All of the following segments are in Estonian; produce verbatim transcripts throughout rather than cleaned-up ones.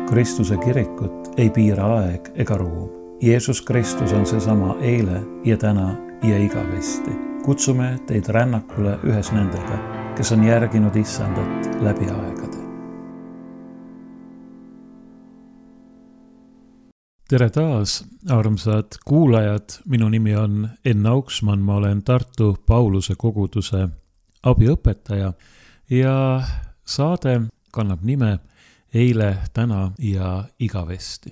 Kristuse kirikut ei piira aeg ega ruum. Jeesus Kristus on seesama eile ja täna ja igavesti. Kutsume teid rännakule ühes nendega, kes on järginud issandat läbi aegade. Tere taas, armsad kuulajad. Minu nimi on Enn Auksmann. Ma olen Tartu Pauluse koguduse abiõpetaja ja saade kannab nime Eile, täna ja igavesti.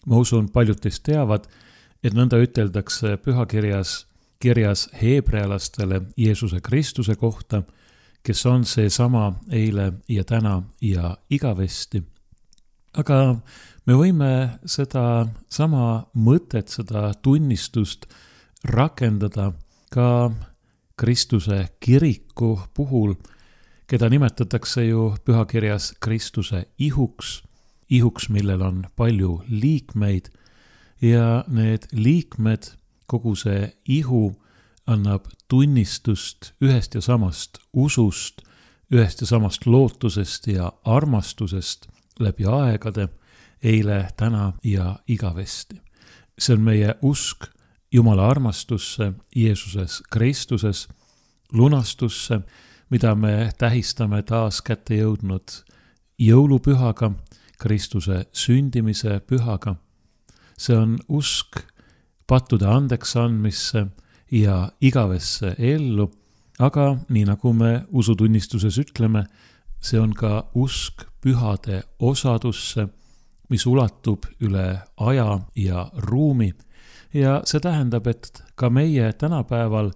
Ma usun, paljud teist teavad, et nõnda üteldakse pühakirjas kirjas heebrealastele Jeesuse Kristuse kohta, kes on seesama eile ja täna ja igavesti. Aga me võime seda sama mõtet, seda tunnistust rakendada ka Kristuse kiriku puhul, keda nimetatakse ju pühakirjas Kristuse ihuks, ihuks, millel on palju liikmeid ja need liikmed, kogu see ihu annab tunnistust ühest ja samast usust, ühest ja samast lootusest ja armastusest läbi aegade, eile, täna ja igavesti. See on meie usk Jumala armastusse Jeesuses Kristuses, lunastusse, mida me tähistame taas kätte jõudnud jõulupühaga, Kristuse sündimise pühaga. See on usk pattude andeks andmisse ja igavesse ellu, aga nii nagu me usutunnistuses ütleme, see on ka usk pühade osadusse, mis ulatub üle aja ja ruumi. Ja see tähendab, et ka meie tänapäeval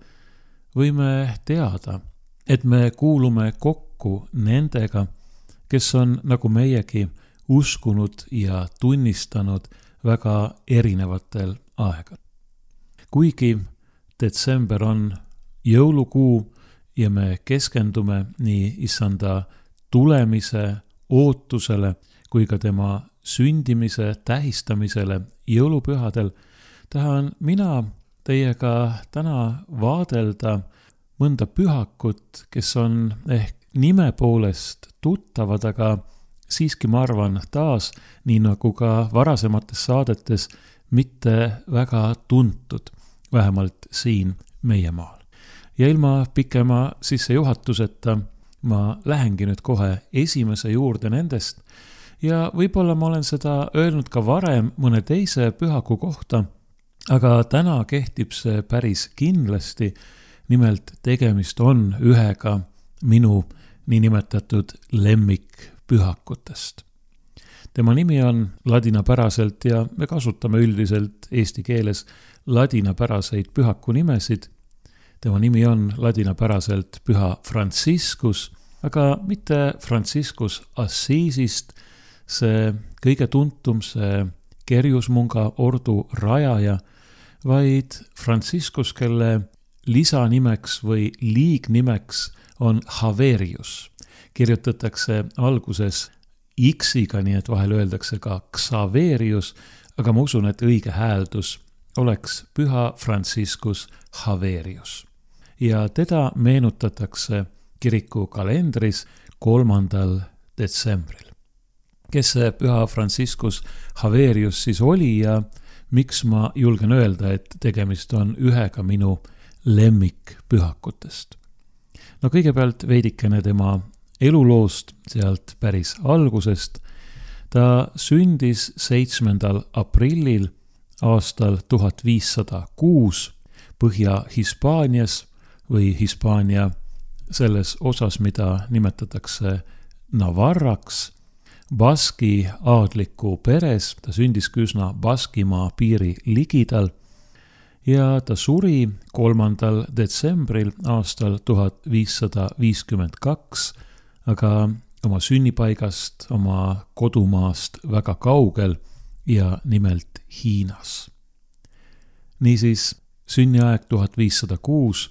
võime teada, et me kuulume kokku nendega, kes on nagu meiegi uskunud ja tunnistanud väga erinevatel aegadel. Kuigi detsember on jõulukuu ja me keskendume nii issanda tulemise ootusele kui ka tema sündimise tähistamisele jõulupühadel, tahan mina teiega täna vaadelda mõnda pühakut, kes on ehk nime poolest tuttavad, aga siiski ma arvan taas, nii nagu ka varasemates saadetes, mitte väga tuntud, vähemalt siin meie maal. Ja ilma pikema sissejuhatuseta ma lähengi nüüd kohe esimese juurde nendest ja võib-olla ma olen seda öelnud ka varem mõne teise pühaku kohta, aga täna kehtib see päris kindlasti. Nimelt tegemist on ühega minu niinimetatud lemmikpühakutest. Tema nimi on ladinapäraselt ja me kasutame üldiselt eesti keeles ladinapäraseid pühaku nimesid. Tema nimi on ladinapäraselt püha Franciscus, aga mitte Franciscus Assisist, see kõige tuntum, see kerjusmunga ordu rajaja, vaid Franciscus, kelle lisanimeks või liignimeks on Xaverius. Kirjutatakse alguses X-iga, nii et vahel öeldakse ka Xaverius, aga ma usun, et õige hääldus oleks püha Franciscus Xaverius. Ja teda meenutatakse kiriku kalendris kolmandal detsembril. Kes see püha Franciscus Xaverius siis oli ja miks ma julgen öelda, et tegemist on ühega minu lemmikpühakutest. No kõigepealt veidikene tema eluloost sealt päris algusest. Ta sündis seitsmendal aprillil aastal tuhat viissada kuus Põhja-Hispaanias või Hispaania selles osas, mida nimetatakse Navarraks, Baski aadliku peres. Ta sündis üsna Baskimaa piiri ligidal ja ta suri kolmandal detsembril aastal tuhat viissada viiskümmend kaks, aga oma sünnipaigast, oma kodumaast väga kaugel ja nimelt Hiinas. Niisiis sünniaeg tuhat viissada kuus,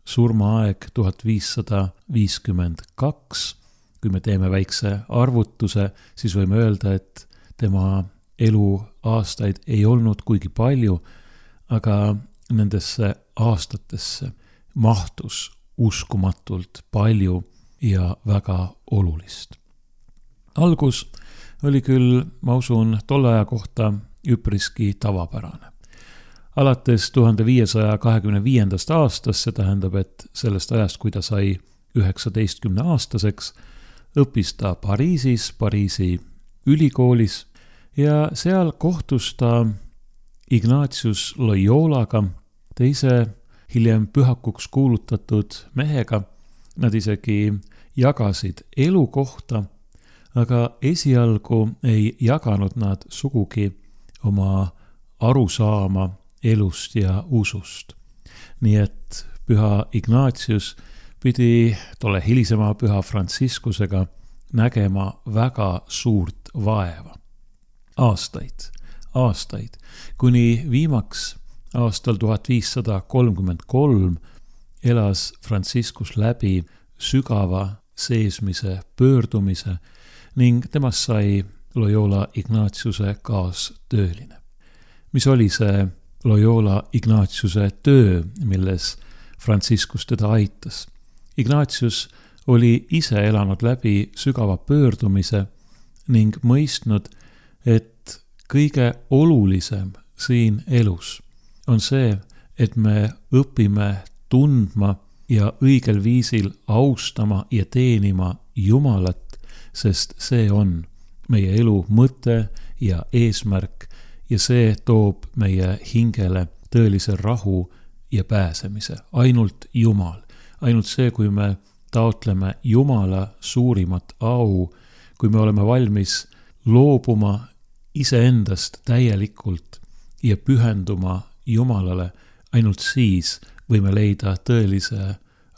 surmaaeg tuhat viissada viiskümmend kaks. Kui me teeme väikse arvutuse, siis võime öelda, et tema elu aastaid ei olnud kuigi palju, aga nendesse aastatesse mahtus uskumatult palju ja väga olulist. Algus oli küll, ma usun, tolle aja kohta üpriski tavapärane. Alates tuhande viiesaja kahekümne viiendast aastast, see tähendab, et sellest ajast, kui ta sai üheksateistkümne aastaseks, õppis ta Pariisis, Pariisi ülikoolis ja seal kohtus ta Ignatius Loyolaga, teise hiljem pühakuks kuulutatud mehega. Nad isegi jagasid elukohta, aga esialgu ei jaganud nad sugugi oma arusaama elust ja usust. Nii et püha Ignatius pidi tolle hilisema püha Franciscusega nägema väga suurt vaeva. Aastaid, aastaid, kuni viimaks aastal tuhat viissada kolmkümmend kolm elas Franciscus läbi sügava seesmise pöördumise ning temast sai Loyola Ignatiuse kaastööline. Mis oli see Loyola Ignatiuse töö, milles Franciscus teda aitas? Ignatius oli ise elanud läbi sügava pöördumise ning mõistnud, et kõige olulisem siin elus on see, et me õpime tundma ja õigel viisil austama ja teenima Jumalat, sest see on meie elu mõte ja eesmärk ja see toob meie hingele tõelise rahu ja pääsemise. Ainult Jumal, ainult see, kui me taotleme Jumala suurimat au, kui me oleme valmis loobuma iseendast täielikult ja pühenduma Jumalale, ainult siis võime leida tõelise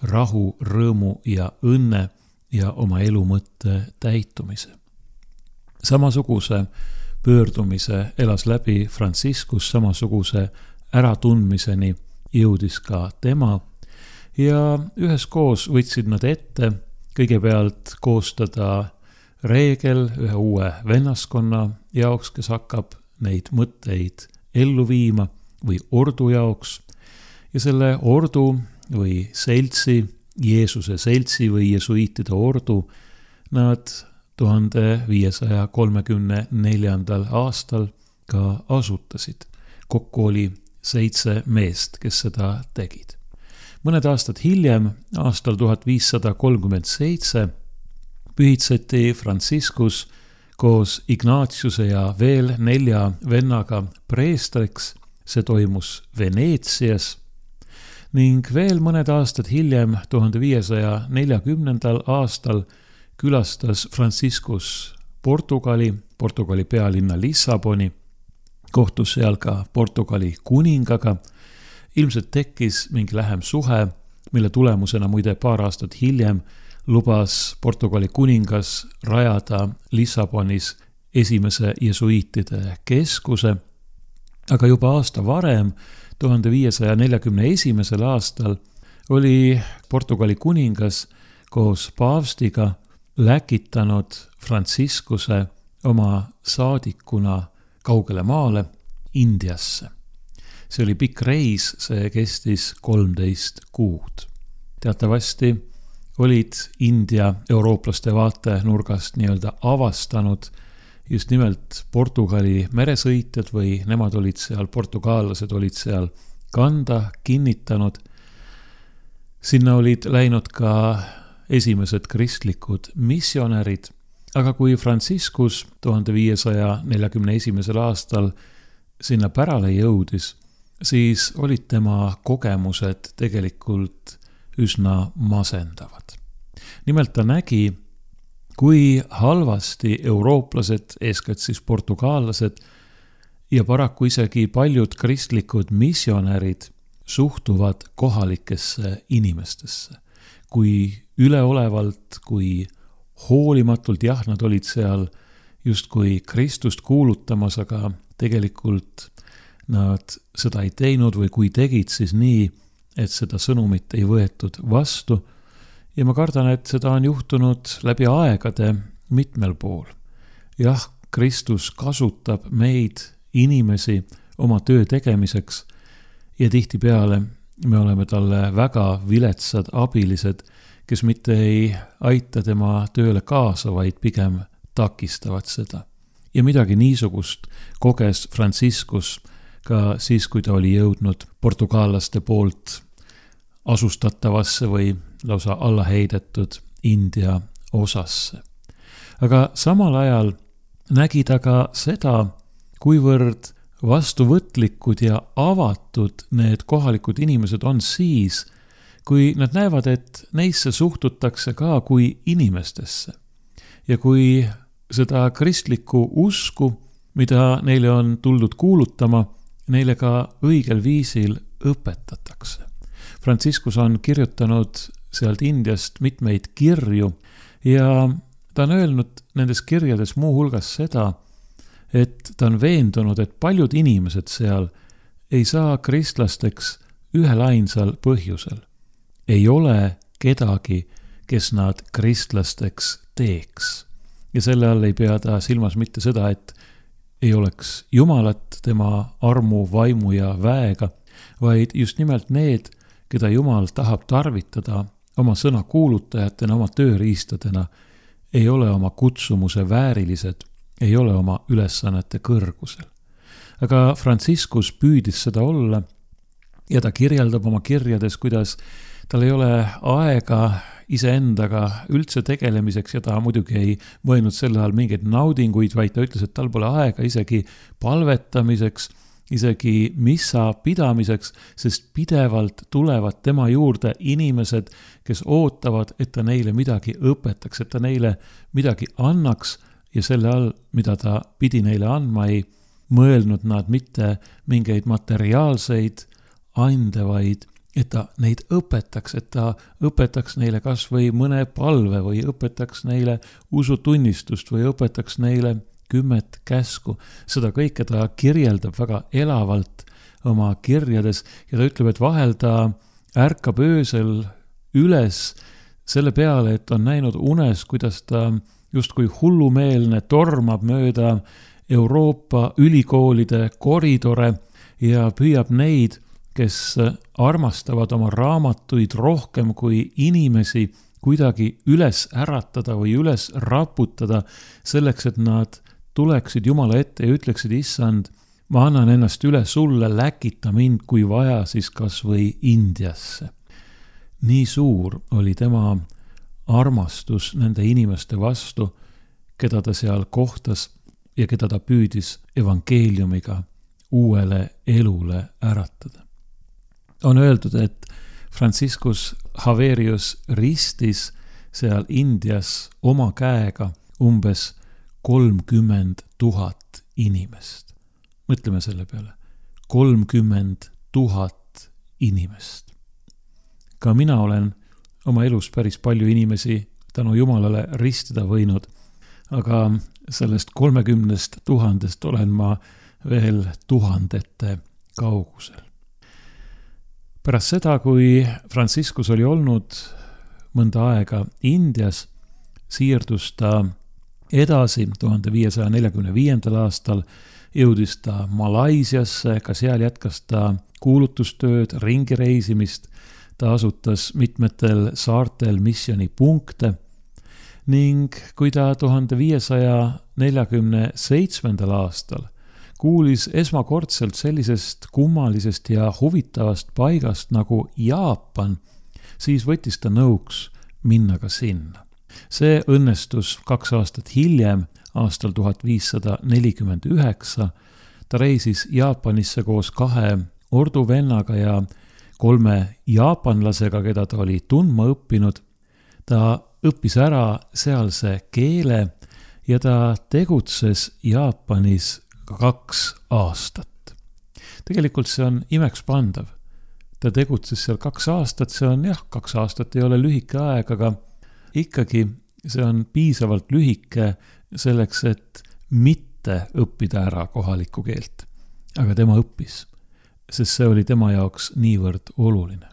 rahu, rõõmu ja õnne ja oma elu mõtte täitumise. Samasuguse pöördumise elas läbi Franciscus, samasuguse äratundmiseni jõudis ka tema ja üheskoos võtsid nad ette kõigepealt koostada reegel ühe uue vennaskonna jaoks, kes hakkab neid mõtteid ellu viima või ordu jaoks ja selle ordu või seltsi, Jeesuse seltsi või jesuiitide ordu nad tuhande viiesaja kolmekümne neljandal aastal ka asutasid. Kokku oli seitse meest, kes seda tegid. Mõned aastad hiljem, aastal tuhat viissada kolmkümmend seitse, pühitseti Franciscus koos Ignatiuse ja veel nelja vennaga preestriks. See toimus Veneetsias ning veel mõned aastad hiljem, tuhande viiesaja neljakümnendal aastal, külastas Franciscus Portugali, Portugali pealinna Lissaboni, kohtus seal ka Portugali kuningaga. Ilmselt tekkis mingi lähem suhe, mille tulemusena muide paar aastat hiljem lubas Portugali kuningas rajada Lissabonis esimese jesuiitide keskuse, aga juba aasta varem, tuhande viiesaja neljakümne esimesel aastal, oli Portugali kuningas koos paavstiga läkitanud Franciscuse oma saadikuna kaugele maale Indiasse. See oli pikk reis, see kestis kolmteist kuud. Teatavasti olid India eurooplaste vaatenurgast nii-öelda avastanud just nimelt Portugali meresõitjad või nemad olid seal, portugaallased olid seal kanda kinnitanud. Sinna olid läinud ka esimesed kristlikud missionärid, aga kui Franciscus tuhande viiesaja neljakümne esimesel aastal sinna pärale jõudis, siis olid tema kogemused tegelikult üsna masendavad. Nimelt ta nägi, kui halvasti eurooplased, eeskätt siis portugaallased ja paraku isegi paljud kristlikud missionärid suhtuvad kohalikesse inimestesse. Kui üleolevalt, kui hoolimatult, jah, nad olid seal justkui Kristust kuulutamas, aga tegelikult nad seda ei teinud või kui tegid, siis nii, et seda sõnumit ei võetud vastu. Ja ma kardan, et seda on juhtunud läbi aegade mitmel pool. Jah, Kristus kasutab meid, inimesi, oma töö tegemiseks ja tihtipeale me oleme talle väga viletsad abilised, kes mitte ei aita tema tööle kaasa, vaid pigem takistavad seda. Ja midagi niisugust koges Franciscus ka siis, kui ta oli jõudnud portugallaste poolt asustatavasse või lausa allaheidetud India osasse. Aga samal ajal nägi ta ka seda, kuivõrd vastuvõtlikud ja avatud need kohalikud inimesed on siis, kui nad näevad, et neisse suhtutakse ka kui inimestesse. Ja kui seda kristlikku usku, mida neile on tuldud kuulutama, neile ka õigel viisil õpetatakse. Franciscus on kirjutanud sealt Indiast mitmeid kirju ja ta on öelnud nendes kirjades muu hulgas seda, et ta on veendunud, et paljud inimesed seal ei saa kristlasteks ühel ainsal põhjusel. Ei ole kedagi, kes nad kristlasteks teeks. Ja selle all ei pea ta silmas mitte seda, et ei oleks Jumalat tema armu, vaimu ja väega, vaid just nimelt need, keda Jumal tahab tarvitada oma sõna kuulutajatena, oma tööriistadena, ei ole oma kutsumuse väärilised, ei ole oma ülesannete kõrgusel. Aga Franciscus püüdis seda olla ja ta kirjeldab oma kirjades, kuidas tal ei ole aega iseendaga üldse tegelemiseks ja ta muidugi ei mõelnud selle all mingeid naudinguid, vaid ta ütles, et tal pole aega isegi palvetamiseks, isegi missa pidamiseks, sest pidevalt tulevad tema juurde inimesed, kes ootavad, et ta neile midagi õpetaks, et ta neile midagi annaks ja selle all, mida ta pidi neile andma, ei mõelnud nad mitte mingeid materiaalseid ande, vaid et ta neid õpetaks, et ta õpetaks neile kas või mõne palve või õpetaks neile usutunnistust või õpetaks neile kümmet käsku. Seda kõike ta kirjeldab väga elavalt oma kirjades ja ta ütleb, et vahel ta ärkab öösel üles selle peale, et on näinud unes, kuidas ta justkui hullumeelne tormab mööda Euroopa ülikoolide koridore ja püüab neid, kes armastavad oma raamatuid rohkem kui inimesi, kuidagi üles äratada või üles raputada selleks, et nad tuleksid Jumala ette ja ütleksid, issand, ma annan ennast üle sulle, läkita mind, kui vaja, siis kas või Indiasse. Nii suur oli tema armastus nende inimeste vastu, keda ta seal kohtas ja keda ta püüdis evangeeliumiga uuele elule äratada. On öeldud, et Franciscus Javerius ristis seal Indias oma käega umbes kolmkümmend tuhat inimest. Mõtleme selle peale. kolmkümmend tuhat inimest. Ka mina olen oma elus päris palju inimesi tänu Jumalale ristida võinud, aga sellest kolmekümnest tuhandest olen ma veel tuhandete kaugusel. Pärast seda, kui Franciscus oli olnud mõnda aega Indias, siirdus ta edasi tuhande viiesaja neljakümne viiendal aastal, jõudis ta Malaisiasse, ka seal jätkas ta kuulutustööd, ringireisimist, ta asutas mitmetel saartel missioonipunkte ning kui ta tuhande viiesaja neljakümne seitsmendal aastal kuulis esmakordselt sellisest kummalisest ja huvitavast paigast nagu Jaapan, siis võttis ta nõuks minna ka sinna. See õnnestus kaks aastat hiljem, aastal tuhat viissada nelikümmend üheksa. Ta reisis Jaapanisse koos kahe orduvennaga ja kolme jaapanlasega, keda ta oli tundma õppinud. Ta õppis ära sealse keele ja ta tegutses Jaapanis kaks aastat. Tegelikult see on imekspandav. Ta tegutses seal kaks aastat, see on jah, kaks aastat ei ole lühike aeg, aga ikkagi see on piisavalt lühike selleks, et mitte õppida ära kohalikku keelt. Aga tema õppis, sest see oli tema jaoks niivõrd oluline.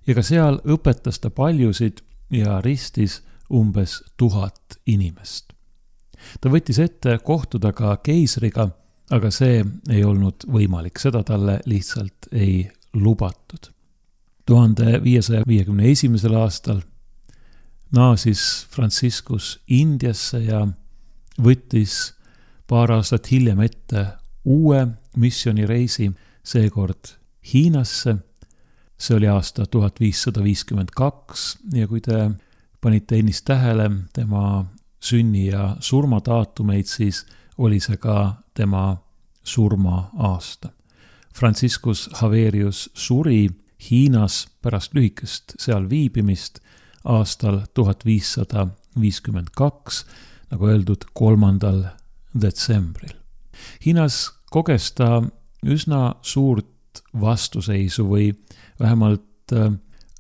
Ja ka seal õpetas ta paljusid ja ristis umbes tuhat inimest. Ta võttis ette kohtuda ka keisriga, aga see ei olnud võimalik, seda talle lihtsalt ei lubatud. tuhande viiesaja viiekümne esimesel aastal naasis Franciscus Indiasse ja võttis paar aastat hiljem ette uue missioonireisi, seekord Hiinasse. See oli aasta tuhat viissada viiskümmend kaks ja kui te panite ennist tähele tema sünni- ja surmadaatumeid, siis oli see ka tema surma-aasta. Franciscus Javerius suri Hiinas pärast lühikest seal viibimist aastal tuhat viissada viiskümmend kaks, nagu öeldud, kolmandal detsembril. Hiinas koges ta üsna suurt vastuseisu või vähemalt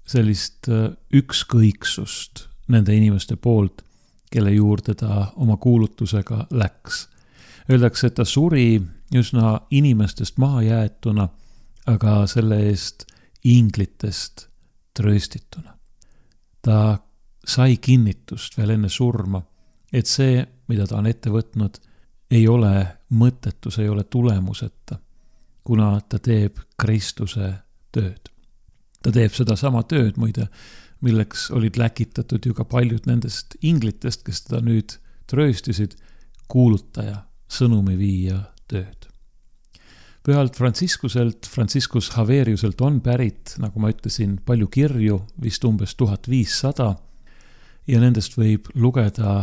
sellist ükskõiksust nende inimeste poolt, kelle juurde ta oma kuulutusega läks. Öeldakse, et ta suri üsna inimestest maha jäetuna, aga selle eest inglitest trööstituna. Ta sai kinnitust veel enne surma, et see, mida ta on ette võtnud, ei ole mõttetu, see ei ole tulemuseta, kuna ta teeb Kristuse tööd. Ta teeb seda sama tööd, muide, milleks olid läkitatud ju ka paljud nendest inglitest, kes teda nüüd trööstisid, kuulutaja, sõnumi viia tööd. Pühalt Franciscuselt, Franciscus Javeriuselt on pärit, nagu ma ütlesin, palju kirju, vist umbes tuhat viissada, ja nendest võib lugeda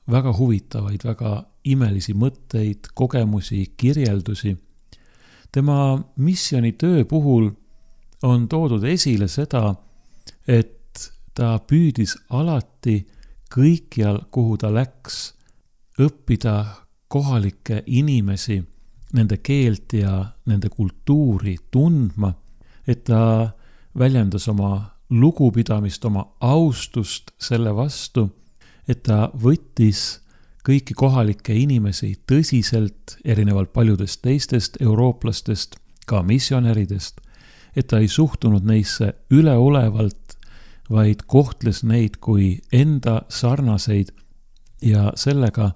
väga huvitavaid, väga imelisi mõtteid, kogemusi, kirjeldusi. Tema missionitöö puhul on toodud esile seda, et ta püüdis alati kõikjal, kuhu ta läks, õppida kohalikke inimesi, nende keelt ja nende kultuuri tundma, et ta väljendas oma lugupidamist, oma austust selle vastu, et ta võttis kõiki kohalikke inimesi tõsiselt, erinevalt paljudest teistest eurooplastest, ka missionäridest, et ta ei suhtunud neisse üleolevalt, vaid kohtles neid kui enda sarnaseid ja sellega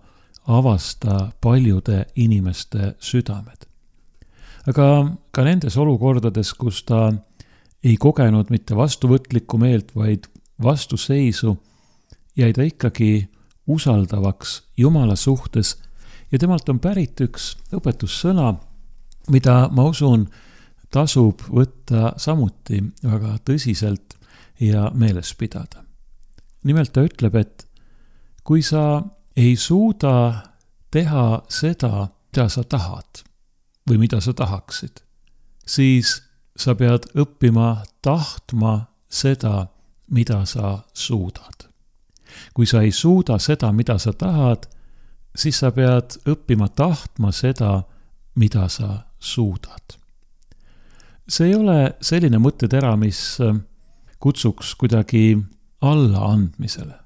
avasta paljude inimeste südamed. Aga ka nendes olukordades, kus ta ei kogenud mitte vastuvõtlikku meelt, vaid vastuseisu, jäi ta ikkagi usaldavaks Jumala suhtes ja temalt on pärit üks õpetussõna, mida ma usun tasub võtta samuti väga tõsiselt ja meeles pidada. Nimelt ta ütleb, et kui sa ei suuda teha seda, mida sa tahad või mida sa tahaksid, siis sa pead õppima tahtma seda, mida sa suudad. Kui sa ei suuda seda, mida sa tahad, siis sa pead õppima tahtma seda, mida sa suudad. See ei ole selline mõttetera, mis kutsuks kuidagi alla andmisele,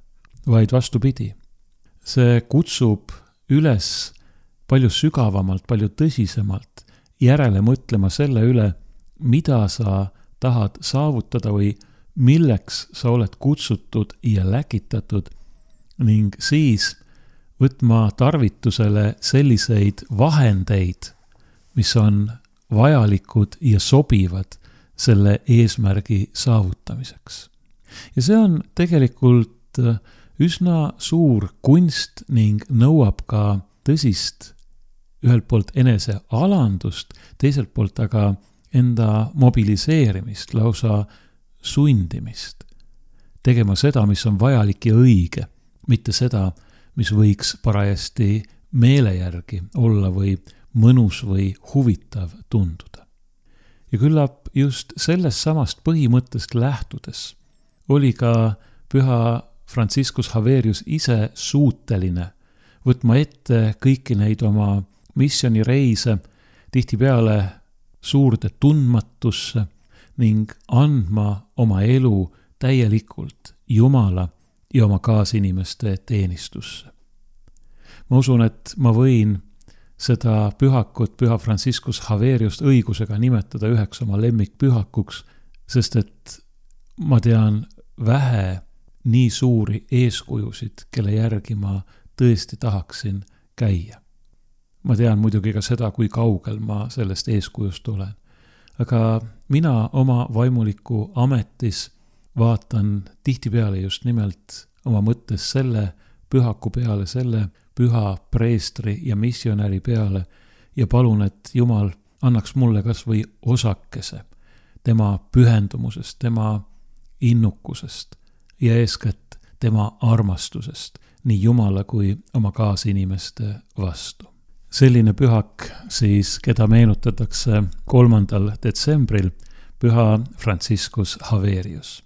vaid vastupidi. See kutsub üles palju sügavamalt, palju tõsisemalt järele mõtlema selle üle, mida sa tahad saavutada või milleks sa oled kutsutud ja läkitatud ning siis võtma tarvitusele selliseid vahendeid, mis on vajalikud ja sobivad selle eesmärgi saavutamiseks. Ja see on tegelikult üsna suur kunst ning nõuab ka tõsist ühelt poolt enese alandust, teiselt poolt aga enda mobiliseerimist, lausa sundimist. Tegema seda, mis on vajalik ja õige, mitte seda, mis võiks parajasti meele järgi olla või mõnus või huvitav tunduda. Ja küllap just sellest samast põhimõttest lähtudes oli ka püha Franciscus Javerius ise suuteline võtma ette kõiki neid oma missionireise tihtipeale suurde tundmatusse ning andma oma elu täielikult Jumala ja oma kaasinimeste teenistusse. Ma usun, et ma võin seda pühakut, püha Franciscus Javeriust õigusega nimetada üheks oma lemmikpühakuks, sest et ma tean vähe nii suuri eeskujusid, kelle järgi ma tõesti tahaksin käia. Ma tean muidugi ka seda, kui kaugel ma sellest eeskujust olen. Aga mina oma vaimuliku ametis vaatan tihtipeale just nimelt oma mõttes selle pühaku peale, selle püha preestri ja missionäri peale ja palun, et Jumal annaks mulle kas või osakese tema pühendumusest, tema innukusest ja eeskätt tema armastusest nii Jumala kui oma kaasinimeste vastu. Selline pühak siis, keda meenutatakse kolmandal detsembril, püha Franciscus Xaverius.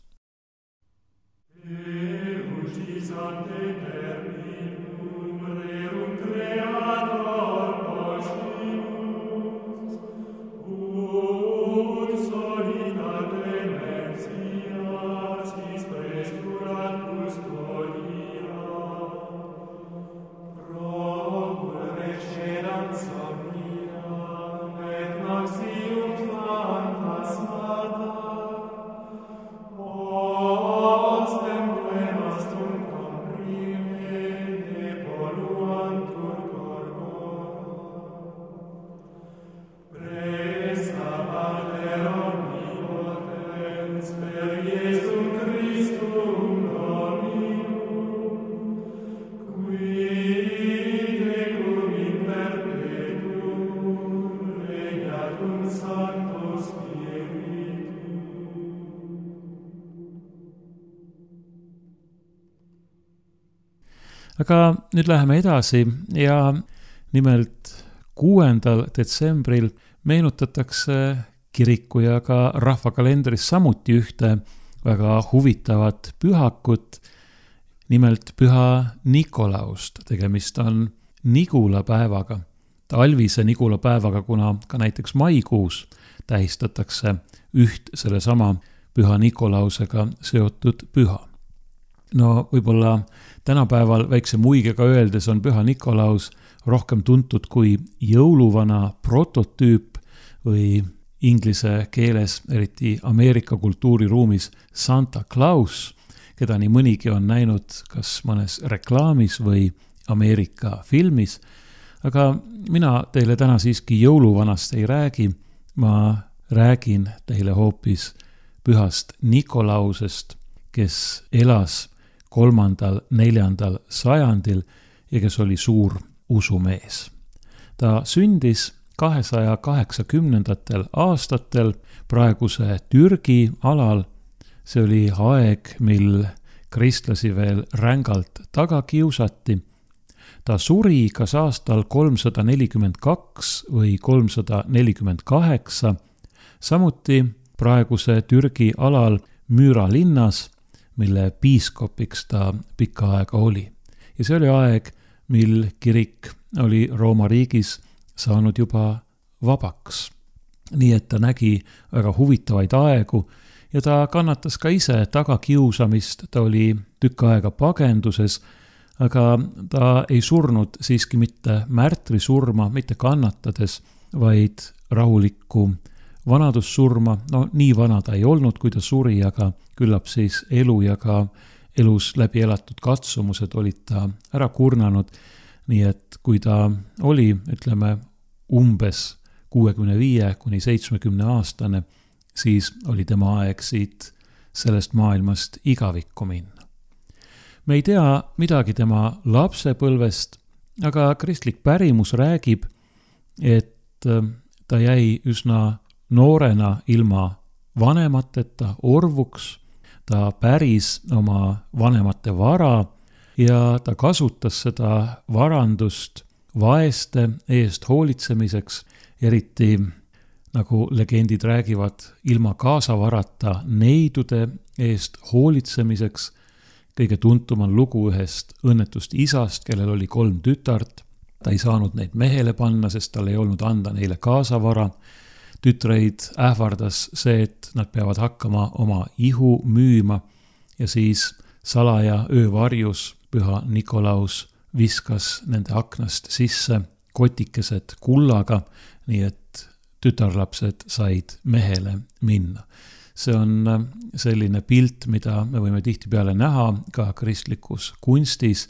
Aga nüüd läheme edasi ja nimelt kuuendal detsembril meenutatakse kiriku ja ka rahvakalendris samuti ühte väga huvitavat pühakut, nimelt püha Nikolaust. Tegemist on Nigula päevaga, talvise Nigula päevaga, kuna ka näiteks maikuus tähistatakse üht selle sama püha Nikolausega seotud püha. No võib-olla tänapäeval väikse muigega öeldes on püha Nikolaus rohkem tuntud kui jõuluvana prototüüp või inglise keeles, eriti Ameerika kultuuriruumis Santa Claus, keda nii mõnigi on näinud kas mõnes reklaamis või Ameerika filmis. Aga mina teile täna siiski jõuluvanast ei räägi, ma räägin teile hoopis pühast Nikolausest, kes elas kolmandal, neljandal sajandil ja kes oli suur usumees. Ta sündis kahesaja kaheksakümnendatel aastatel praeguse Türgi alal. See oli aeg, mil kristlasi veel rängalt taga kiusati. Ta suri kas aastal kolmsada nelikümmend kaks või kolmsada nelikümmend kaheksa, samuti praeguse Türgi alal Müüra linnas, mille piiskopiks ta pikka aega oli. Ja see oli aeg, mil kirik oli Rooma riigis saanud juba vabaks. Nii et ta nägi väga huvitavaid aegu ja ta kannatas ka ise tagakiusamist, ta oli tükk aega pagenduses, aga ta ei surnud siiski mitte märtri surma, mitte kannatades, vaid rahulikku vanadussurma. No nii vana ta ei olnud, kui ta suri, aga küllap siis elu ja ka elus läbi elatud katsumused olid ta ära kurnanud. Nii et kui ta oli, ütleme, umbes kuuekümne viie kuni seitsmekümne aastane, siis oli tema aeg siit sellest maailmast igavikku minna. Me ei tea midagi tema lapsepõlvest, aga kristlik pärimus räägib, et ta jäi üsna noorena ilma vanemateta orvuks, ta päris oma vanemate vara ja ta kasutas seda varandust vaeste eest hoolitsemiseks, eriti nagu legendid räägivad, ilma kaasavarata neidude eest hoolitsemiseks. Kõige tuntum on lugu ühest õnnetust isast, kellel oli kolm tütart. Ta ei saanud neid mehele panna, sest tal ei olnud anda neile kaasavara. Tütreid ähvardas see, et nad peavad hakkama oma ihu müüma ja siis salaja öövarjus püha Nikolaus viskas nende aknast sisse kotikesed kullaga, nii et tütarlapsed said mehele minna. See on selline pilt, mida me võime tihtipeale näha ka kristlikus kunstis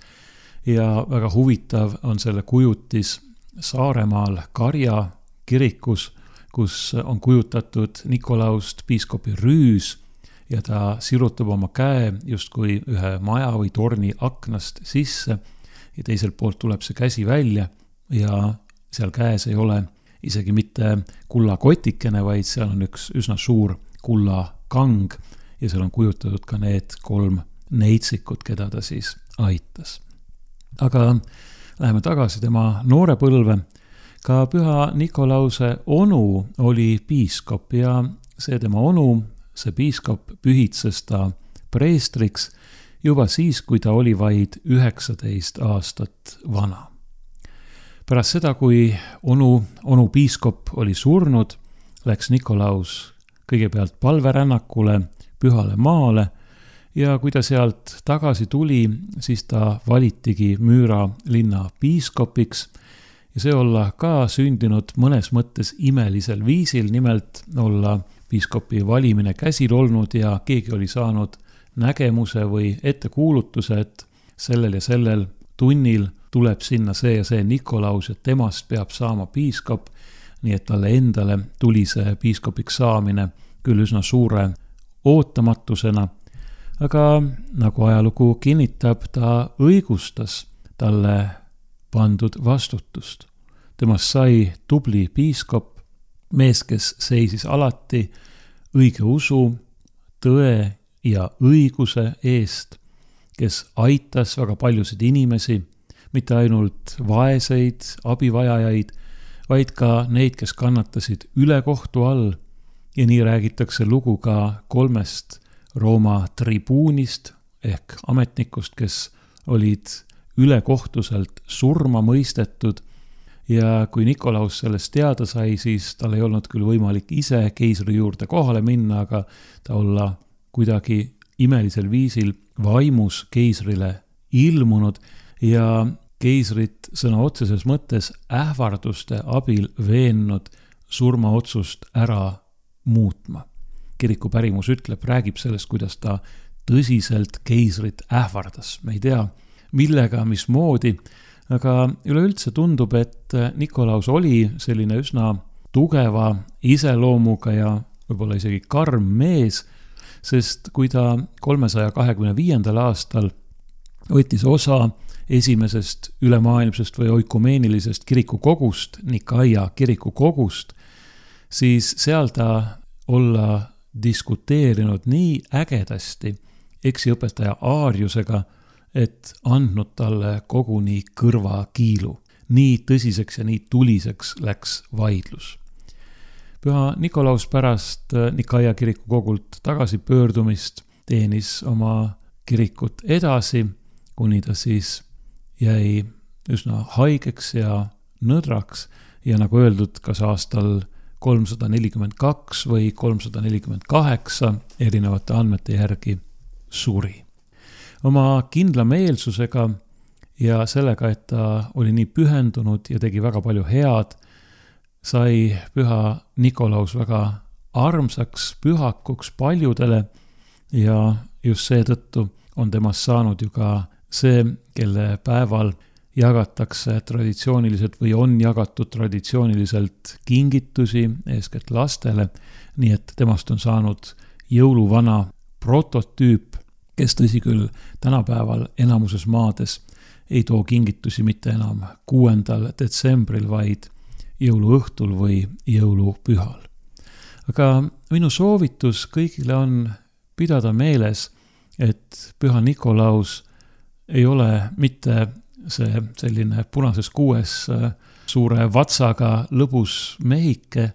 ja väga huvitav on selle kujutis Saaremaal Karja kirikus, kus on kujutatud Nikolaust piiskopi rüüs ja ta sirutab oma käe justkui ühe maja või torni aknast sisse ja teiselt poolt tuleb see käsi välja ja seal käes ei ole isegi mitte kullakotikene, vaid seal on üks üsna suur kullakang ja seal on kujutatud ka need kolm neitsikut, keda ta siis aitas. Aga läheme tagasi tema noore põlve. Ka püha Nikolause onu oli piiskop ja see tema onu, see piiskop pühitses ta preestriks juba siis, kui ta oli vaid üheksateist aastat vana. Pärast seda, kui onu, onu piiskop oli surnud, läks Nikolaus kõigepealt palverännakule pühale maale ja kui ta sealt tagasi tuli, siis ta valitigi Müüra linna piiskopiks ja see olla ka sündinud mõnes mõttes imelisel viisil, nimelt olla piiskopi valimine käsil olnud ja keegi oli saanud nägemuse või ettekuulutuse, et sellel ja sellel tunnil tuleb sinna see ja see Nikolaus ja temast peab saama piiskop, nii et talle endale tuli see piiskopiks saamine küll üsna suure ootamatusena, aga nagu ajalugu kinnitab, ta õigustas talle pandud vastutust. Temast sai tubli piiskop, mees, kes seisis alati õige usu, tõe ja õiguse eest, kes aitas väga paljusid inimesi, mitte ainult vaeseid, abivajajaid, vaid ka neid, kes kannatasid ülekohtu all ja nii räägitakse lugu ka kolmest Rooma tribuunist ehk ametnikust, kes olid ülekohtuselt surma mõistetud ja kui Nikolaus sellest teada sai, siis tal ei olnud küll võimalik ise keisri juurde kohale minna, aga ta olla kuidagi imelisel viisil vaimus keisrile ilmunud ja keisrit sõna otseses mõttes ähvarduste abil veennud surmaotsust ära muutma. Kiriku pärimus ütleb, räägib sellest, kuidas ta tõsiselt keisrit ähvardas. Me ei tea, millega, mismoodi, aga üleüldse tundub, et Nikolaus oli selline üsna tugeva iseloomuga ja võib-olla isegi karm mees, sest kui ta kolmesaja kahekümne viiendal aastal võttis osa esimesest ülemaailmsest või oikumeenilisest kirikukogust, Nikaia kirikukogust, siis seal ta olla diskuteerinud nii ägedasti eksiõpetaja Aariusega, et andnud talle koguni kõrva kiilu. Nii tõsiseks ja nii tuliseks läks vaidlus. Püha Nikolaus pärast Nikaia kirikukogult tagasi pöördumist teenis oma kirikut edasi, kuni ta siis jäi üsna haigeks ja nõdraks ja nagu öeldud, kas aastal kolmsada nelikümmend kaks või kolmsada nelikümmend kaheksa erinevate andmete järgi suri. Oma kindla meelsusega ja sellega, et ta oli nii pühendunud ja tegi väga palju head, sai püha Nikolaus väga armsaks pühakuks paljudele ja just seetõttu on temast saanud ju ka see, kelle päeval jagatakse traditsiooniliselt või on jagatud traditsiooniliselt kingitusi eeskätt lastele, nii et temast on saanud jõuluvana prototüüp, kes tõsi küll tänapäeval enamuses maades ei too kingitusi mitte enam kuuendal detsembril, vaid jõuluõhtul või jõulupühal. Aga minu soovitus kõigile on pidada meeles, et püha Nikolaus ei ole mitte see selline punases kuues suure vatsaga lõbus mehike,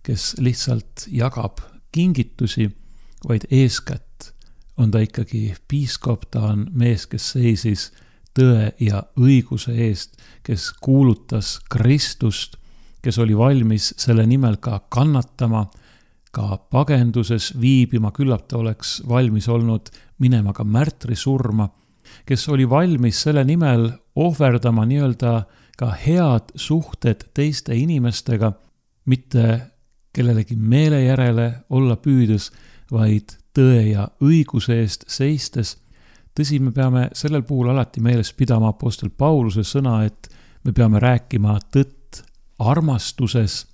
kes lihtsalt jagab kingitusi, vaid eeskätt on ta ikkagi piiskop, ta on mees, kes seisis tõe ja õiguse eest, kes kuulutas Kristust, kes oli valmis selle nimel ka kannatama, ka pagenduses viibima, küllap ta oleks valmis olnud minema ka märtri surma, kes oli valmis selle nimel ohverdama nii-öelda ka head suhted teiste inimestega, mitte kellelegi meele järele olla püüdes, vaid tõe ja õiguse eest seistes. Tõsi, me peame sellel puhul alati meeles pidama apostel Pauluse sõna, et me peame rääkima tõtt armastuses.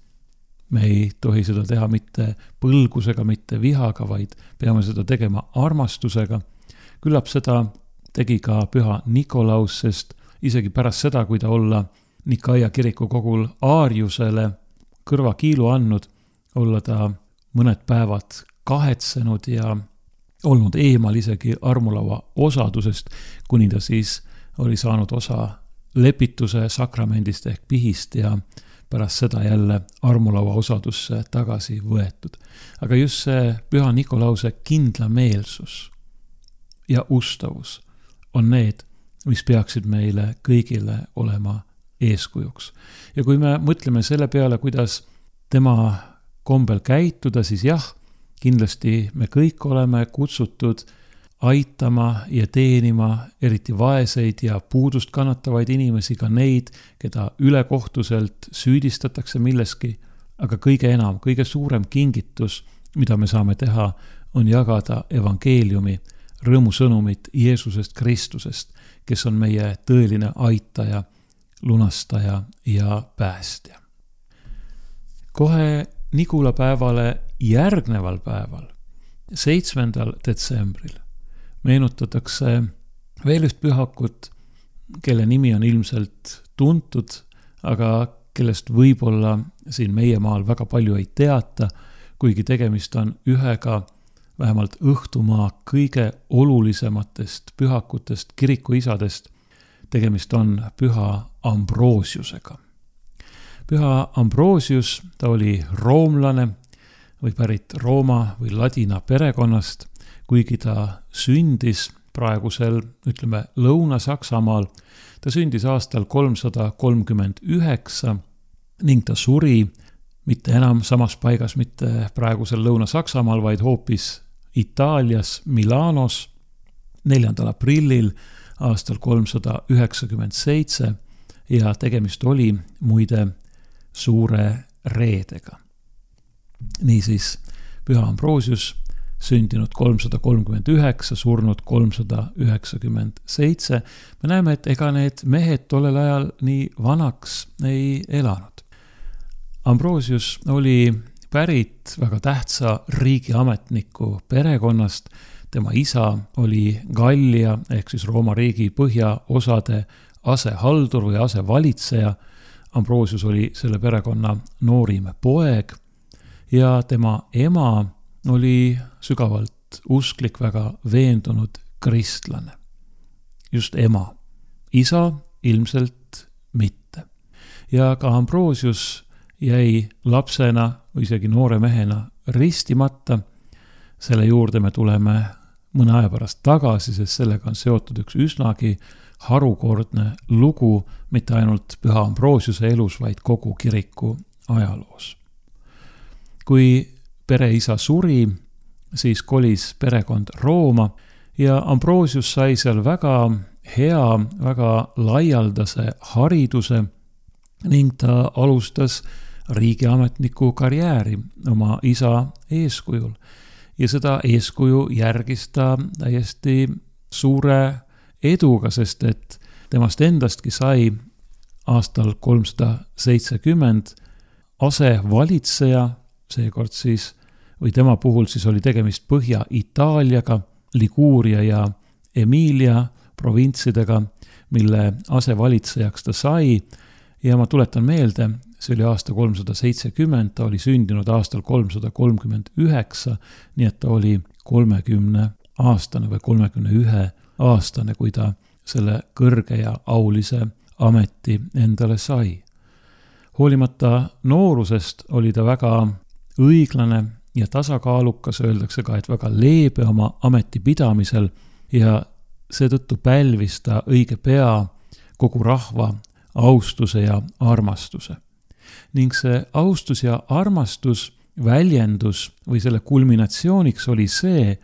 Me ei tohi seda teha mitte põlgusega, mitte vihaga, vaid peame seda tegema armastusega. Küllap seda tegi ka püha Nikolaus, sest isegi pärast seda, kui ta olla Nikaia kiriku kogul Aariusele kõrvakiilu andnud, olla ta mõned päevad kahetsenud ja olnud eemal isegi armulaua osadusest, kuni ta siis oli saanud osa lepituse sakramendist ehk pihist ja pärast seda jälle armulaua osadusse tagasi võetud. Aga just see Püha Nikolause kindlameelsus ja ustavus on need, mis peaksid meile kõigile olema eeskujuks. Ja kui me mõtleme selle peale, kuidas tema kombel käituda, siis jah, kindlasti me kõik oleme kutsutud aitama ja teenima eriti vaeseid ja puudust kannatavaid inimesi, ka neid, keda ülekohtuselt süüdistatakse milleski, aga kõige enam, kõige suurem kingitus, mida me saame teha, on jagada evangeeliumi, rõõmusõnumit Jeesusest Kristusest, kes on meie tõeline aitaja, lunastaja ja päästja. Kohe Nigula päevale järgneval päeval, seitsmendal detsembril, meenutatakse veel üht pühakut, kelle nimi on ilmselt tuntud, aga kellest võib-olla siin meie maal väga palju ei teata, kuigi tegemist on ühega vähemalt õhtumaa kõige olulisematest pühakutest, kirikuisadest. Tegemist on püha Ambrosiusega. Püha Ambrosius, ta oli roomlane või pärit Rooma või ladina perekonnast, kuigi ta sündis praegusel, ütleme, Lõuna-Saksamaal. Ta sündis aastal kolmsada kolmkümmend üheksa ning ta suri mitte enam samas paigas, mitte praegusel Lõuna-Saksamaal, vaid hoopis Itaalias, Milanos, neljandal aprillil aastal kolmsada üheksakümmend seitse ja tegemist oli muide suure reedega. Niisiis, Püha Ambrosius sündinud kolmsada kolmkümmend üheksa, surnud kolmsada üheksakümmend seitse. Me näeme, et ega need mehed tollel ajal nii vanaks ei elanud. Ambrosius oli pärit väga tähtsa riigiametniku perekonnast. Tema isa oli Gallia ehk siis Rooma riigi põhjaosade asehaldur või asevalitseja. Ambrosius oli selle perekonna noorim poeg ja tema ema oli sügavalt usklik, väga veendunud kristlane. Just ema. Isa ilmselt mitte. Ja ka Ambrosius jäi lapsena või isegi noore mehena ristimata. Selle juurde me tuleme mõne aja pärast tagasi, sest sellega on seotud üks üsnagi harukordne lugu, mitte ainult Püha Ambrosiuse elus, vaid kogu kiriku ajaloos. Kui pereisa suri, siis kolis perekond Rooma ja Ambrosius sai seal väga hea, väga laialdase hariduse ning ta alustas riigiametniku karjääri oma isa eeskujul. Ja seda eeskuju järgis ta täiesti suure eduga, sest et temast endastki sai aastal kolmsada seitsekümmend asevalitseja, seekord siis, või tema puhul siis oli tegemist Põhja-Itaaliaga, Liguuria ja Emilia provintsidega, mille asevalitsejaks ta sai. Ja ma tuletan meelde, see oli aasta kolmsada seitsekümmend, ta oli sündinud aastal kolmsada kolmkümmend üheksa, nii et ta oli kolmekümne aastane või kolmekümne ühe aastane, kui ta selle kõrge ja aulise ameti endale sai. Hoolimata noorusest oli ta väga õiglane ja tasakaalukas, öeldakse ka, et väga leebe oma ameti pidamisel ja seetõttu pälvis ta õige pea kogu rahva austuse ja armastuse. Ning see austus ja armastus väljendus või selle kulminatsiooniks oli see,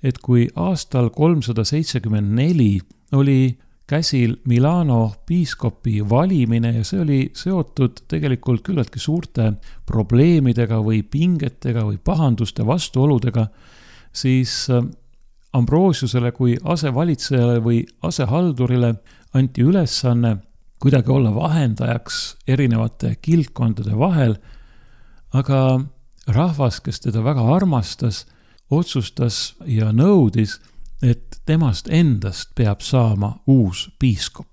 et kui aastal kolmsada seitsekümmend neli oli käsil Milano piiskopi valimine ja see oli seotud tegelikult küllaltki suurte probleemidega või pingetega või pahanduste vastuoludega, siis Ambrosiusele kui asevalitsejale või asehaldurile anti ülesanne kuidagi olla vahendajaks erinevate kildkondade vahel, aga rahvas, kes teda väga armastas, otsustas ja nõudis, et temast endast peab saama uus piiskop.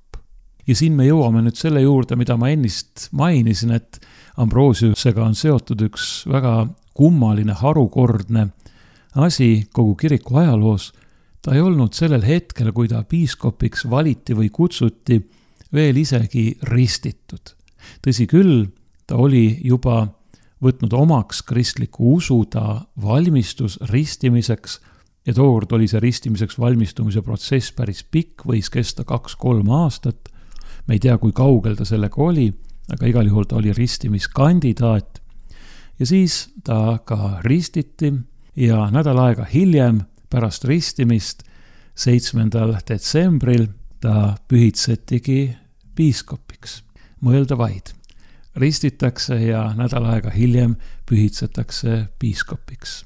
Ja siin me jõuame nüüd selle juurde, mida ma ennist mainisin, et Ambrosiusega on seotud üks väga kummaline, harukordne asi kogu kiriku ajaloos. Ta ei olnud sellel hetkel, kui ta piiskopiks valiti või kutsuti, veel isegi ristitud. Tõsi küll, ta oli juba võtnud omaks kristliku usu, ta valmistus ristimiseks ja tookord oli see ristimiseks valmistumise protsess päris pikk, võis kesta kaks-kolm aastat. Me ei tea, kui kaugel ta sellega oli, aga igal juhul ta oli ristimiskandidaat. Ja siis ta ka ristiti ja nädal aega hiljem pärast ristimist, seitsmendal detsembril, ta pühitsetigi piiskopiks. Mõelda vaid. Ristitakse ja nädal aega hiljem pühitsetakse piiskopiks.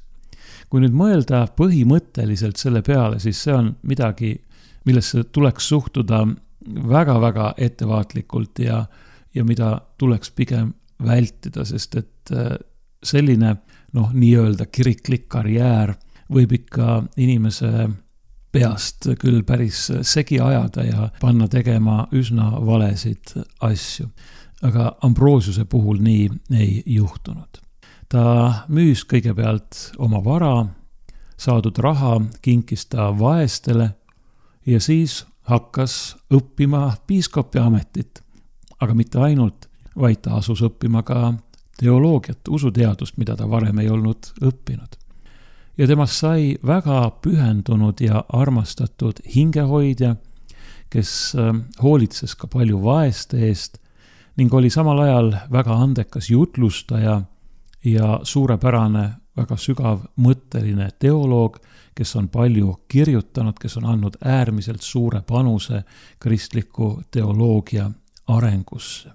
Kui nüüd mõelda põhimõtteliselt selle peale, siis see on midagi, millesse tuleks suhtuda väga-väga ettevaatlikult ja, ja mida tuleks pigem vältida, sest et selline noh, nii-öelda kiriklik karjäär võib ikka inimese peast küll päris segi ajada ja panna tegema üsna valesid asju. Aga Ambrosiuse puhul nii ei juhtunud. Ta müüs kõigepealt oma vara, saadud raha kinkis ta vaestele ja siis hakkas õppima piiskopi ametit. Aga mitte ainult, vaid ta asus õppima ka teoloogiat, usuteadust, mida ta varem ei olnud õppinud. Ja temast sai väga pühendunud ja armastatud hingehoidja, kes hoolitses ka palju vaeste eest ning oli samal ajal väga andekas jutlustaja ja suurepärane, väga sügav mõtteline teoloog, kes on palju kirjutanud, kes on andnud äärmiselt suure panuse kristliku teoloogia arengusse.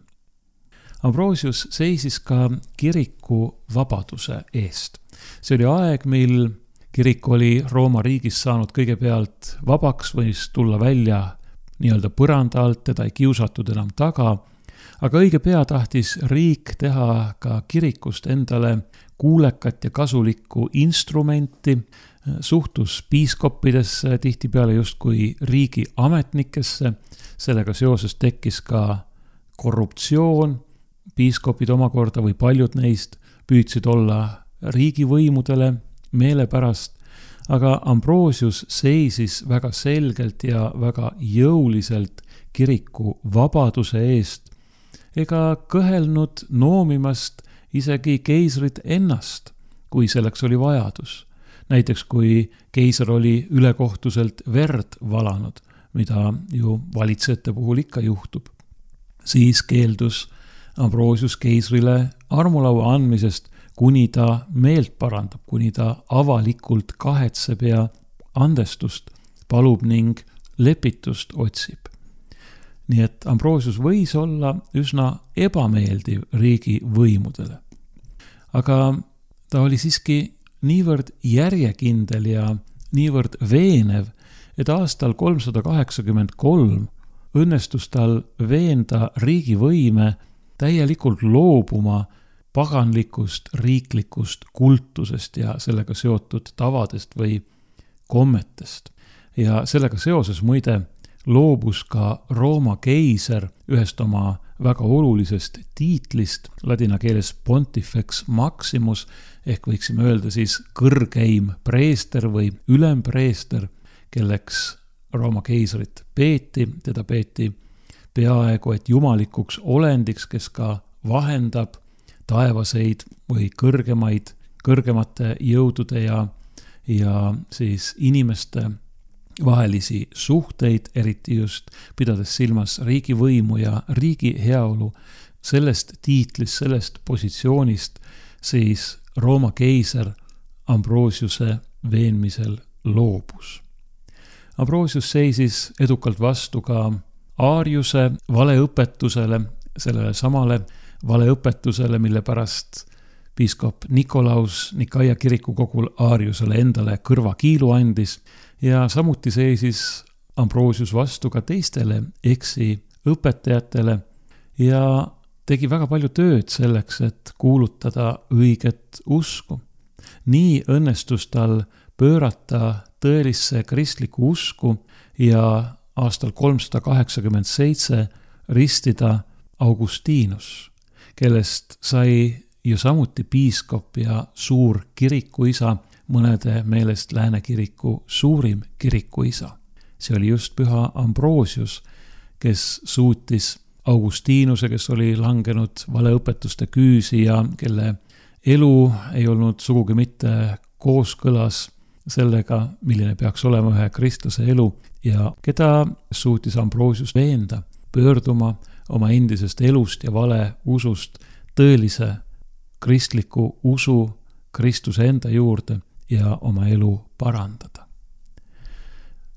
Ambrosius seisis ka kiriku vabaduse eest. See oli aeg, mil kirik oli Rooma riigis saanud kõigepealt vabaks, võis tulla välja nii-öelda põranda alt, teda ei kiusatud enam taga, aga õige pea tahtis riik teha ka kirikust endale kuulekat ja kasulikku instrumenti, suhtus piiskoppidesse tihtipeale justkui riigi ametnikesse, sellega seoses tekkis ka korruptsioon, piiskopid omakorda või paljud neist püüdsid olla riigivõimudele meelepärast, aga Ambrosius seisis väga selgelt ja väga jõuliselt kiriku vabaduse eest ega kõhelnud noomimast isegi keisrit ennast, kui selleks oli vajadus. Näiteks kui keiser oli ülekohtuselt verd valanud, mida ju valitsejate puhul ikka juhtub, siis keeldus Ambrosius keisrile armulaua andmisest, kuni ta meelt parandab, kuni ta avalikult kahetseb ja andestust palub ning lepitust otsib. Nii et Ambrosius võis olla üsna ebameeldiv riigi võimudele. Aga ta oli siiski niivõrd järjekindel ja niivõrd veenev, et aastal kolmsada kaheksakümmend kolm õnnestus tal veenda riigivõime täielikult loobuma paganlikust riiklikust kultusest ja sellega seotud tavadest või kommetest. Ja sellega seoses muide loobus ka Rooma keiser ühest oma väga olulisest tiitlist, ladina keeles pontifex maximus, ehk võiksime öelda siis kõrgeim preester või ülempreester, kelleks Rooma keisrit peeti, teda peeti peaaegu et jumalikuks olendiks, kes ka vahendab taevaseid või kõrgemaid, kõrgemate jõudude ja, ja siis inimeste vahelisi suhteid, eriti just pidades silmas riigivõimu ja riigi heaolu. Sellest tiitlist, sellest positsioonist siis Rooma keiser Ambrosiuse veenmisel loobus. Ambrosius seisis edukalt vastu ka Aariuse valeõpetusele, sellele samale valeõpetusele, mille pärast piiskop Nikolaus Nikaia kirikukogul Aariusele endale kõrvakiilu andis ja samuti seisis Ambrosius vastu ka teistele eksi õpetajatele ja tegi väga palju tööd selleks, et kuulutada õiget usku. Nii õnnestus tal pöörata tõelisse kristlikku usku ja aastal kolmsada kaheksakümmend seitse ristida Augustinus, kellest sai ju samuti piiskop ja suur kirikuisa, mõnede meelest Lääne kiriku suurim kirikuisa. See oli just püha Ambrosius, kes suutis Augustinuse, kes oli langenud valeõpetuste küüsi ja kelle elu ei olnud sugugi mitte kooskõlas sellega, milline peaks olema ühe kristlase elu ja keda suutis Ambrosius veenda pöörduma oma endisest elust ja vale usust tõelise kristliku usu Kristuse enda juurde ja oma elu parandada.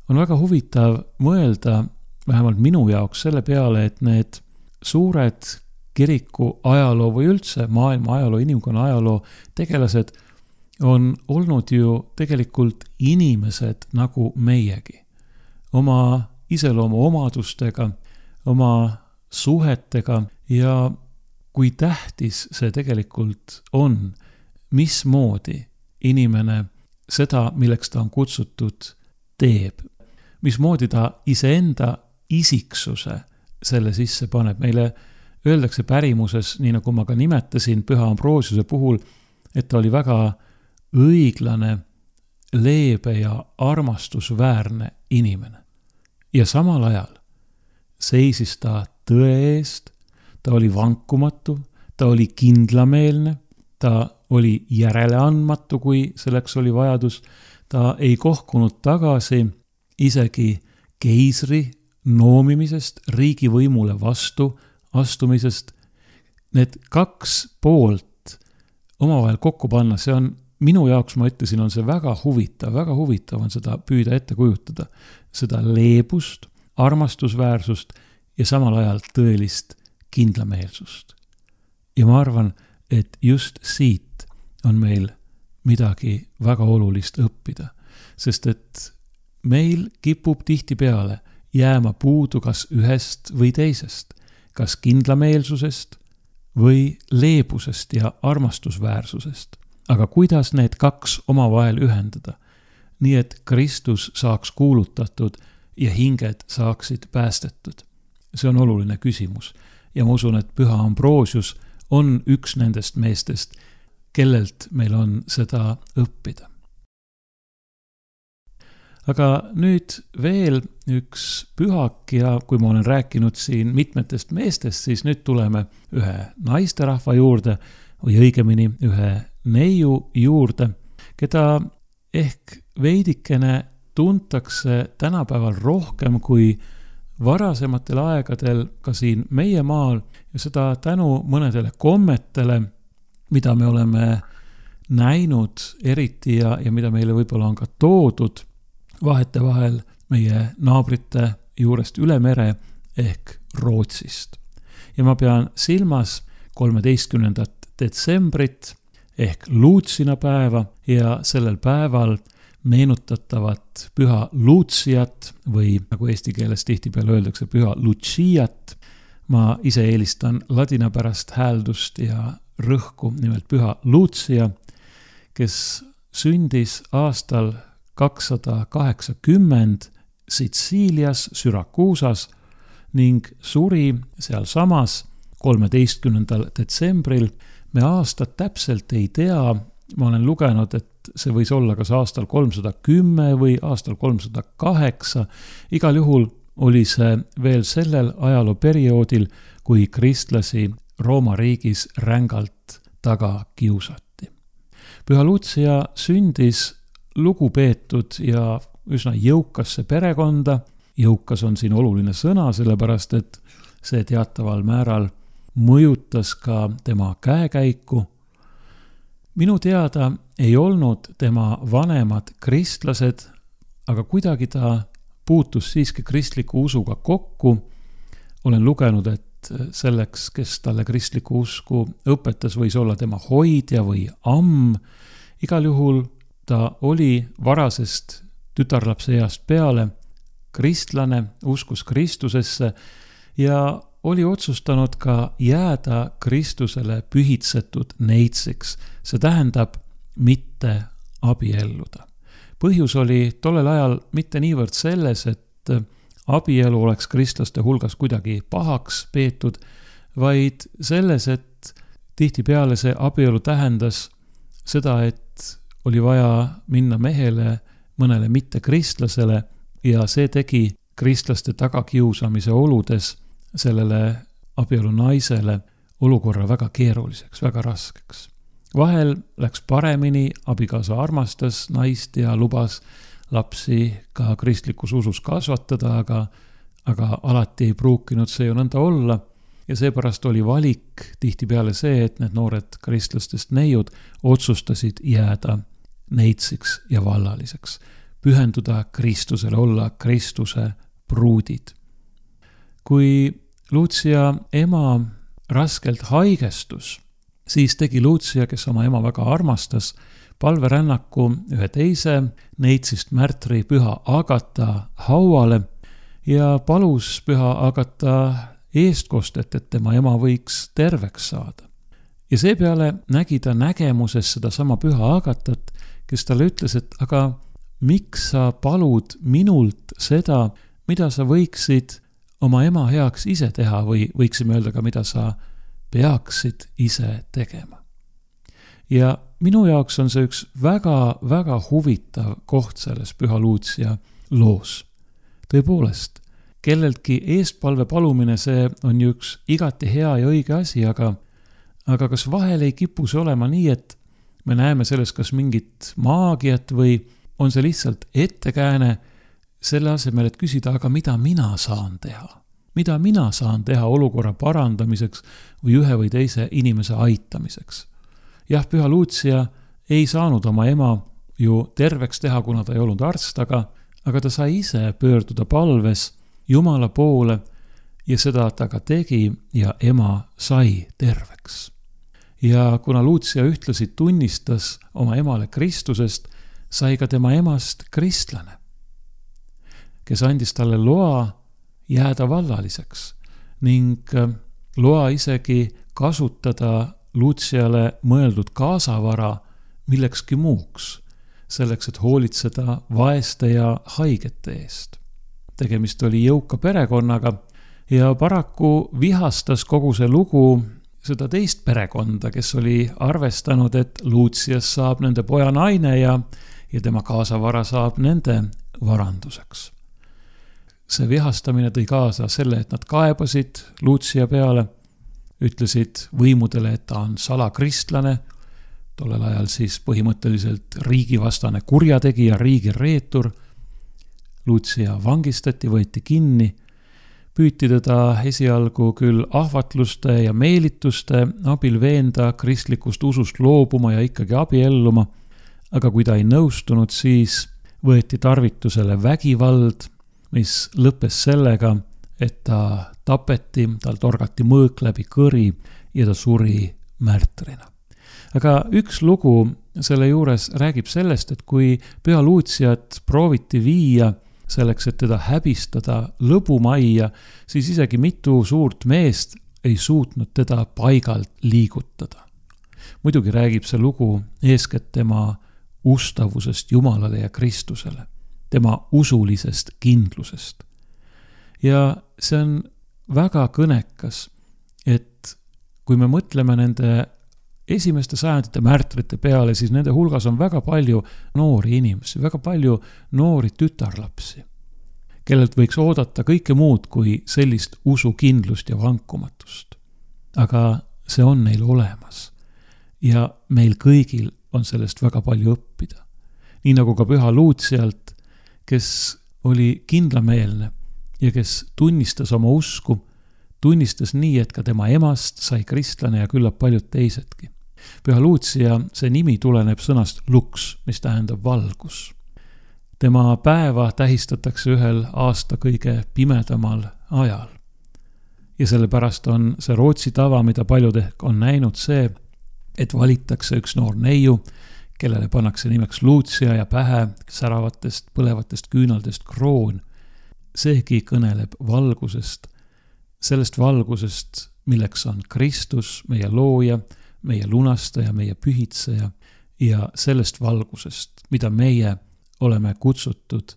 On väga huvitav mõelda, vähemalt minu jaoks selle peale, et need suured kiriku ajaloo või üldse maailma ajaloo, inimkonna ajaloo tegelased on olnud ju tegelikult inimesed nagu meiegi. Oma iseloomu omadustega, oma suhetega ja kui tähtis see tegelikult on, mismoodi inimene seda, milleks ta on kutsutud, teeb. Mismoodi ta iseenda isiksuse selle sisse paneb. Meile öeldakse pärimuses, nii nagu ma ka nimetasin püha Ambrosiuse puhul, et ta oli väga õiglane, leebe ja armastusväärne inimene. Ja samal ajal seisis ta tõe eest, ta oli vankumatu, ta oli kindlameelne, ta oli järeleandmatu, kui selleks oli vajadus, ta ei kohkunud tagasi isegi keisri noomimisest, riigivõimule vastu astumisest. Need kaks poolt omavahel kokku panna, see on minu jaoks, ma ütlesin, on see väga huvitav, väga huvitav on seda püüda ette kujutada. Seda leebust, armastusväärsust ja samal ajal tõelist kindlameelsust. Ja ma arvan, et just siit on meil midagi väga olulist õppida, sest et meil kipub tihtipeale jääma puudu kas ühest või teisest, kas kindlameelsusest või leebusest ja armastusväärsusest. Aga kuidas need kaks omavahel ühendada, nii et Kristus saaks kuulutatud ja hinged saaksid päästetud? See on oluline küsimus ja ma usun, et püha Ambrosius on üks nendest meestest, kellelt meil on seda õppida. Aga nüüd veel üks pühak ja kui ma olen rääkinud siin mitmetest meestest, siis nüüd tuleme ühe naisterahva juurde või õigemini ühe neiu juurde, keda ehk veidikene tuntakse tänapäeval rohkem kui varasematel aegadel ka siin meie maal ja seda tänu mõnedele kommetele, mida me oleme näinud eriti ja, ja mida meile võib-olla on ka toodud vahete vahel meie naabrite juurest üle mere ehk Rootsist. Ja ma pean silmas kolmeteistkümnendat detsembrit ehk Luutsina päeva ja sellel päeval meenutatavat püha Luutsiat või nagu eesti keeles tihtipeale öeldakse püha Luciat. Ma ise eelistan ladinapärast hääldust ja rõhku, nimelt püha Lucia, kes sündis aastal kakssada kaheksakümmend Sitsiilias, Syrakuusas ning suri seal samas kolmeteistkümnendal detsembril. Me aastat täpselt ei tea, ma olen lugenud, et see võis olla kas aastal kolmsada kümme või aastal kolmsada kaheksa. Igal juhul oli see veel sellel ajalooperioodil, kui kristlasi Rooma riigis rängalt taga kiusati. Püha Lucia sündis lugupeetud ja üsna jõukasse perekonda. Jõukas on siin oluline sõna, sellepärast et see teataval määral mõjutas ka tema käekäiku. Minu teada ei olnud tema vanemad kristlased, aga kuidagi ta puutus siiski kristliku usuga kokku. Olen lugenud, et selleks, kes talle kristliku usku õpetas, võis olla tema hoidja või amm. Igal juhul ta oli varasest tütarlapse east peale kristlane, uskus Kristusesse ja oli otsustanud ka jääda Kristusele pühitsetud neitsiks. See tähendab mitte abielluda. Põhjus oli tollel ajal mitte niivõrd selles, et abielu oleks kristlaste hulgas kuidagi pahaks peetud, vaid selles, et tihtipeale see abielu tähendas seda, et oli vaja minna mehele mõnele mittekristlasele ja see tegi kristlaste tagakiusamise oludes sellele abielu naisele olukorra väga keeruliseks, väga raskeks. Vahel läks paremini, abikaasa armastas naist ja lubas lapsi ka kristlikus usus kasvatada, aga, aga alati ei pruukinud see ju nõnda olla ja seepärast oli valik tihtipeale see, et need noored kristlastest neiud otsustasid jääda neitsiks ja vallaliseks, pühenduda Kristusele, olla Kristuse pruudid. Kui Lucia ema raskelt haigestus, siis tegi Lucia, kes oma ema väga armastas, palverännaku ühe teise neitsist märtri püha Agata hauale ja palus püha Agata eestkostet, et tema ema võiks terveks saada. Ja seepeale nägi ta nägemuses seda sama püha Agatat, kes talle ütles, et aga miks sa palud minult seda, mida sa võiksid oma ema heaks ise teha või võiksime öelda ka, mida sa peaksid ise tegema. Ja minu jaoks on see üks väga, väga huvitav koht selles püha Lucia loos. Tõepoolest, kelleltki eestpalve palumine, see on ju üks igati hea ja õige asi, aga, aga kas vahel ei kipu see olema nii, et me näeme selles kas mingit maagiat või on see lihtsalt ettekääne selle asemel, et küsida, aga mida mina saan teha? Mida mina saan teha olukorra parandamiseks või ühe või teise inimese aitamiseks? Jah, püha Lucia ei saanud oma ema ju terveks teha, kuna ta ei olnud arst, aga, aga ta sai ise pöörduda palves Jumala poole ja seda ta ka tegi ja ema sai terveks. Ja kuna Lucia ühtlasi tunnistas oma emale Kristusest, sai ka tema emast kristlane, kes andis talle loa jääda vallaliseks ning loa isegi kasutada Luciale mõeldud kaasavara millekski muuks, selleks, et hoolitseda vaeste ja haigete eest. Tegemist oli jõuka perekonnaga ja paraku vihastas kogu see lugu seda teist perekonda, kes oli arvestanud, et Lucias saab nende poja naine ja, ja tema kaasavara saab nende varanduseks. See vihastamine tõi kaasa selle, et nad kaebasid Lucia peale, ütlesid võimudele, et ta on salakristlane, tollel ajal siis põhimõtteliselt riigivastane kurjategija, riigireetur. Lucia vangistati, võeti kinni, püüti teda esialgu küll ahvatluste ja meelituste abil veenda kristlikust usust loobuma ja ikkagi abielluma, aga kui ta ei nõustunud, siis võeti tarvitusele vägivald, mis lõppes sellega, et ta tapeti, tal torgati mõõk läbi kõri ja ta suri märtrina. Aga üks lugu selle juures räägib sellest, et kui püha Luciat prooviti viia selleks, et teda häbistada lõbumajja, siis isegi mitu suurt meest ei suutnud teda paigalt liigutada. Muidugi räägib see lugu eeskätt tema ustavusest Jumalale ja Kristusele, tema usulisest kindlusest. Ja see on väga kõnekas, et kui me mõtleme nende esimeste sajandite märtrite peale, siis nende hulgas on väga palju noori inimesi, väga palju noori tütarlapsi, kellelt võiks oodata kõike muud kui sellist usukindlust ja vankumatust. Aga see on neil olemas ja meil kõigil on sellest väga palju õppida. Nii nagu ka püha Lucialt, kes oli kindlameelne ja kes tunnistas oma usku, tunnistas nii, et ka tema emast sai kristlane ja küllap paljud teisedki. Püha Lucia, see nimi tuleneb sõnast lux, mis tähendab valgus. Tema päeva tähistatakse ühel aasta kõige pimedamal ajal. Ja sellepärast on see Rootsi tava, mida paljud ehk on näinud, see, et valitakse üks noor neiu, kellele pannakse nimeks Lucia ja pähe säravatest põlevatest küünaldest kroon. Seegi kõneleb valgusest, sellest valgusest, milleks on Kristus, meie looja, meie lunastaja, meie pühitseja ja sellest valgusest, mida meie oleme kutsutud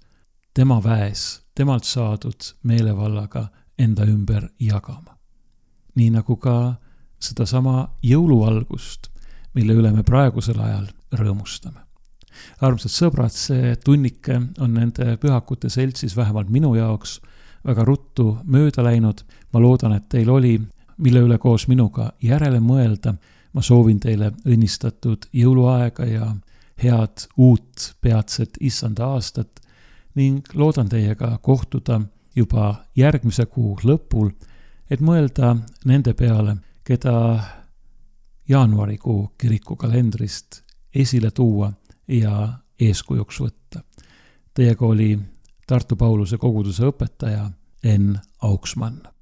tema väes, temalt saadud meelevallaga enda ümber jagama. Nii nagu ka sedasama jõuluvalgust, mille üle me praegusel ajal rõõmustame. Armsad sõbrad, see tunnike on nende pühakute seltsis vähemalt minu jaoks väga ruttu mööda läinud. Ma loodan, et teil oli, mille üle koos minuga järele mõelda. Ma soovin teile õnnistatud jõuluaega ja head uut peatset issanda aastat ning loodan teiega kohtuda juba järgmise kuu lõpul, et mõelda nende peale, keda jaanuarikuu kirikukalendrist esile tuua ja eeskujuks võtta. Teiega oli Tartu Pauluse koguduse õpetaja Enn Auksmann.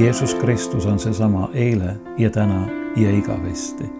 Jeesus Kristus on seesama eile ja täna ja igavesti.